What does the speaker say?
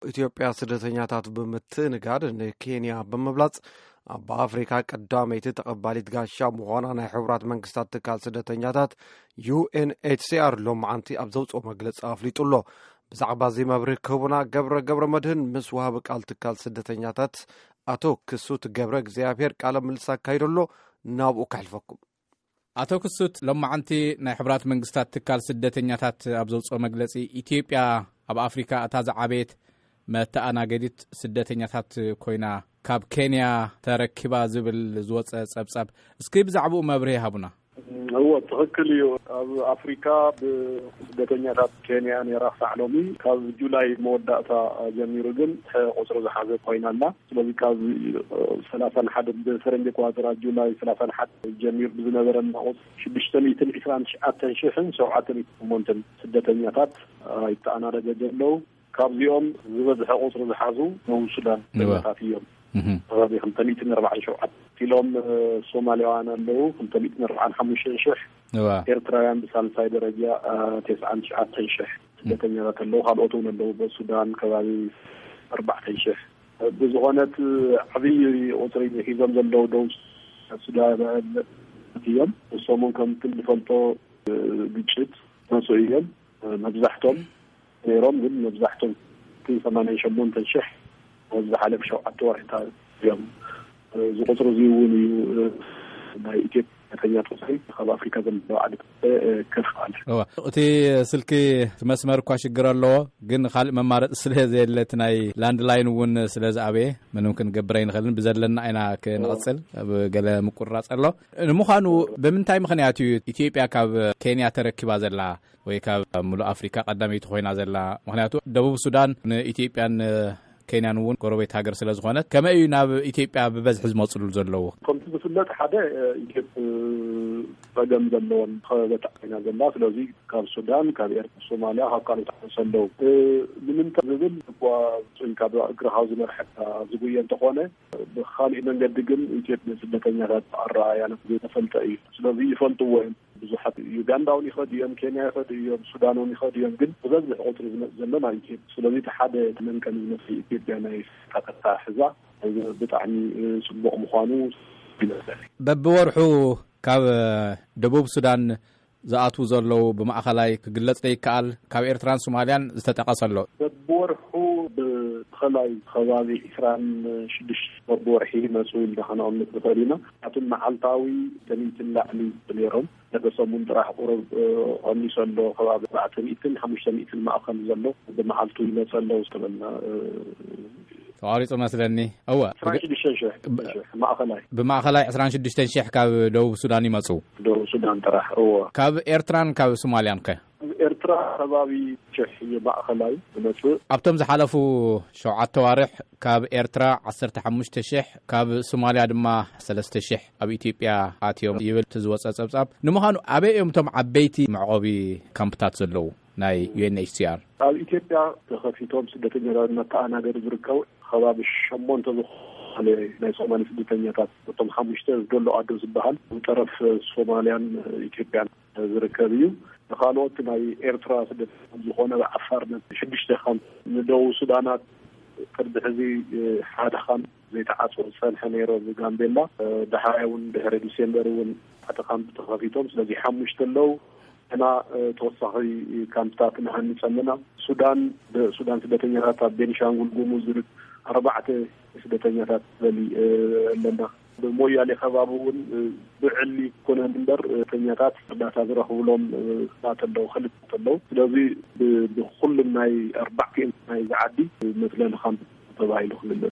ኢትዮጵያ ስደተኛታት ብምትንጋድ ንኬንያ ብምብላጽ ኣብ ኣፍሪካ ቀዳመይቲ ተቐባሊት ጋሻ ምዃና ናይ ሕቡራት መንግስታት ትካል ስደተኛታት ዩ ኤን ኤች ሲ ኣር ሎማዓንቲ ኣብ ዘውፅኦ መግለፂ ኣፍሊጡ ኣሎ። ብዛዕባ እዚ መብርሂ ክህቡና ገብረ ገብረ መድህን ምስ ወሃቢ ቃል ትካል ስደተኛታት ኣቶ ክሱት ገብረ እግዚኣብሔር ቃለ ምልልስ ኣካይዶ ኣሎ። ናብኡ ከሕልፈኩም። ኣቶ ክሱት፣ ሎማዓንቲ ናይ ሕቡራት መንግስታት ትካል ስደተኛታት ኣብ ዘውፅኦ መግለፂ፣ ኢትዮጵያ ኣብ ኣፍሪካ እታ ዝዓበየት መተኣናገዲት ስደተኛታት ኮይና ካብ ኬንያ ተረኪባ ዝብል ዝወፀ ፀብፃብ፣ እስኪ ብዛዕባኡ መብርሂ ሃቡና። እዎ፣ ትኽክል እዩ። ኣብ ኣፍሪካ ብስደተኛታት ኬንያ ነይራ ክሳዕ ሎሚ። ካብ ጁላይ መወዳእታ ጀሚሩ ግን ቁፅሪ ዝሓዘት ኮይና ኣላ። ስለዚ ካብ ሰላሳን ሓደ፣ ብፈረንጂ ኣቆፃፅራ ጁላይ ሰላሳን ሓደ ጀሚሩ ብዝነበረና ቁፅሪ ሽዱሽተ ሚእትን ዕስራን ትሽዓተን ሽሕን ሸውዓተ ሚእትን ሸሞንተን ስደተኛታት ኣይተኣናደገ ዘለዉ። ካብዚኦም ዝበዝሐ ቁፅሪ ዝሓዙ ደቡብ ሱዳን እወ። ስደተኛታት እዮም። እህ። ከባቢ ክልተ ሚእትን ኣርባዓን ሸውዓተን ኢሎም፣ እ፣ ሶማሊያውያን ኣለዉ፣ ክልተ ሚእትን ኣርባዓን ሓሙሽተን ሽሕ። እወ። ኤርትራውያን ብሳልሳይ ደረጃ፣ እ፣ ተስዓን ትሽዓተን ሽሕ ስደተኛታት ኣለዉ። ካልኦት እውን ኣለዉ፣ በሱዳን ከባቢ ኣርባዕተን ሽሕ። ብዝኾነት ዓብዪ ቁፅሪ ሒዞም ዘለዉ ደቡብ ሱዳን እዮም። ንሶም እውን ከምቲ ንፈልጦ ግጭት መፁ እዮም። መብዛሕቶም ነይሮም፣ ግን መብዛሕቶም ሰማንያን ሸሞንተን ሽሕ ኣብ ዝሓለፈ ሸውዓተ ወርሕታት እዮም። እዚ ቁፅሪ እዚ እውን እዩ ናይ ኢትዮጵያ ስደተኛታት ቁፅሪ ካብ ኣፍሪካ ዘለዋ ዓድታት ከፍ ኣለ። እዋ፣ እቲ ስልኪ መስመር እኳ ሽግር ኣለዎ፣ ግን ካልእ መማረፂ ስለ ዘየለ፣ እቲ ናይ ላንድላይን እውን ስለ ዝኣበየ፣ ምንም ክንገብር ኣይንኽእልን። ብዘለና ኢና ክንቕፅል፣ ኣብ ገለ ምቁራፅ ኣሎ። ንምዃኑ ብምንታይ ምኽንያት እዩ ኢትዮጵያ ካብ ኬንያ ተረኪባ ዘላ ወይ ካብ ሙሉእ ኣፍሪካ ቀዳመይቲ ኮይና ዘላ? ምኽንያቱ ደቡብ ሱዳን ንኢትዮጵያን ኬንያን እውን ጎረቤት ሃገር ስለ ዝኾነት፣ ከመይ እዩ ናብ ኢትዮጵያ ብበዝሒ ዝመፅሉ ዘለዉ? ከምቲ ዝፍለጥ፣ ሓደ፣ እ፣ ኢትዮጵያ ጸገም ዘለወን ከባቢታት ኮይና ዘላ። ስለዚ ካብ ሱዳን፣ ካብ ኤርትራ፣ ሶማልያ፣ ካብ ካልኦት ሃገራት ኣለዉ። እ፣ ንምንታይ ዝብል እኳ ጽን ካብ እግርኻ ዝመርሐካ ዝጉየ እንተኾነ፣ ብኻሊእ መንገዲ ግን ኢትዮጵያ ስደተኛታት ኣረኣእያ ተፈልጠ እዩ። ስለዚ ይፈልጥዎ እዮም። ብዙሓት ዩጋንዳ እውን ይኸዱ እዮም፣ ኬንያ ይኸዱ እዮም፣ ሱዳን እውን ይኸዱ እዮም። ግን ዝበዝሕ ቁፅሪ ዝመፅእ ዘሎ ናብ ኢትዮጵያ። ስለዚ እቲ ሓደ መንቀሊ ዝመስል ኢትዮጵያ ናይ ቀጥታ ሕዛ ብጣዕሚ፣ እ፣ ፅቡቕ ምዃኑ ይመስለኒ። በብወርሑ ካብ፣ እ፣ ደቡብ ሱዳን ዝኣትዉ ዘለዉ ብማእኸላይ ክግለፅ ዶ ይከኣል? ካብ ኤርትራን ሶማልያን ዝተጠቐሰ ኣሎ። በብወርሑ ብማእኸላይ ከባቢ ዕስራን ሽዱሽተ በብወርሒ ይመፁ ኢልና ከነቐምጥ ንኽእል ኢና። ኣቱም መዓልታዊ ሚእትን ላዕሊ ነይሮም። ነደ ሰሙን ጥራሕ ቁሩብ፣ እ፣ ቀኒሱ ኣሎ። ከባቢ ኣርባዕተ ሚእትን ሓሙሽተ ሚእትን ማእኸል ዘሎ ብመዓልቱ ይመጸ ኣሎ ዝተበልና፣ እ፣ ተቋሪጹ መስለኒ። እወ። ዕስራን ሽዱሽተን ሽሕ፣ ብ-፣ ሽሕ ማእኸላይ። ብማእኸላይ ዕስራን ሽዱሽተን ሽሕ ካብ ደቡብ ሱዳን ይመጹ። ደቡብ ሱዳን ጥራሕ፣ እወ። ካብ ኤርትራን ካብ ሶማልያን ከ? ኤርትራ ከባቢ ሽሕ እዩ ማእኸላይ ዝመጽእ። ኣብቶም ዝሓለፉ ሸውዓተ ዋርሕ ካብ ኤርትራ ዓሰርተ ሓሙሽተ ሽሕ፣ ካብ ሶማልያ ድማ ሰለስተ ሽሕ ኣብ ኢትዮጵያ ኣትዮም ይብል እቲ ዝወጸ ጸብጻብ። ንምዃኑ ኣበይ እዮም እቶም ዓበይቲ መዕቆቢ ካምፕታት ዘለዉ ናይ ዩ ኤን ኤች ሲ ኣር? ኣብ ኢትዮጵያ ተኸፊቶም ስደተኛታት መተኣናገዲ ዝርከቡ ከባቢ ሸሞንተ ዝኾነ ናይ ሶማሊ ስደተኛታት፣ እቶም ሓሙሽተ ዶሎ ኣዶ ዝበሃል፣ ብጠረፍ ሶማልያን ኢትዮጵያን ዝርከብ እዩ። ንኻልኦት ናይ ኤርትራ ስደተኛታት ዝኾነ ኣብ ዓፋር ነ-፣ ሽዱሽተ ካምፕ፣ ንደቡብ ሱዳናት ቅድሚ ሕዚ ሓደ ካምፕ ዘይተዓጽወ ዝጸንሐ ነይሩ፣ ኣብ ጋምቤላ። ዳሕራይ እውን ድሕሪ ዲሴምበር እውን ሓደ ካምፕ ተኸፊቶም፣ ስለዚ ሓሙሽተ ኣለዉ። እና ተወሳኺ ካምፕታት ንሃንጽ ኣለና። ሱዳን፣ ሱዳን ስደተኛታት ኣብ ቤኒሻንጉል ጉሙዝ ዝርከብ ኣርባዕተ ስደተኛታት ዘሊ ኣለና። ብሞያሌ ከባቢ እውን ብዕሊ ኮነ እምበር ስደተኛታት እርዳታ ዝረኽብሎም ባት ኣለዉ፣ ክልተ ኣለዉ። ስለዚ ብ-፣ ብኩሉም ናይ ኣርባዕቲኦም ናይ ዝዓዲ መፅለሊ ካምፕ ተባሂሉ ክልለ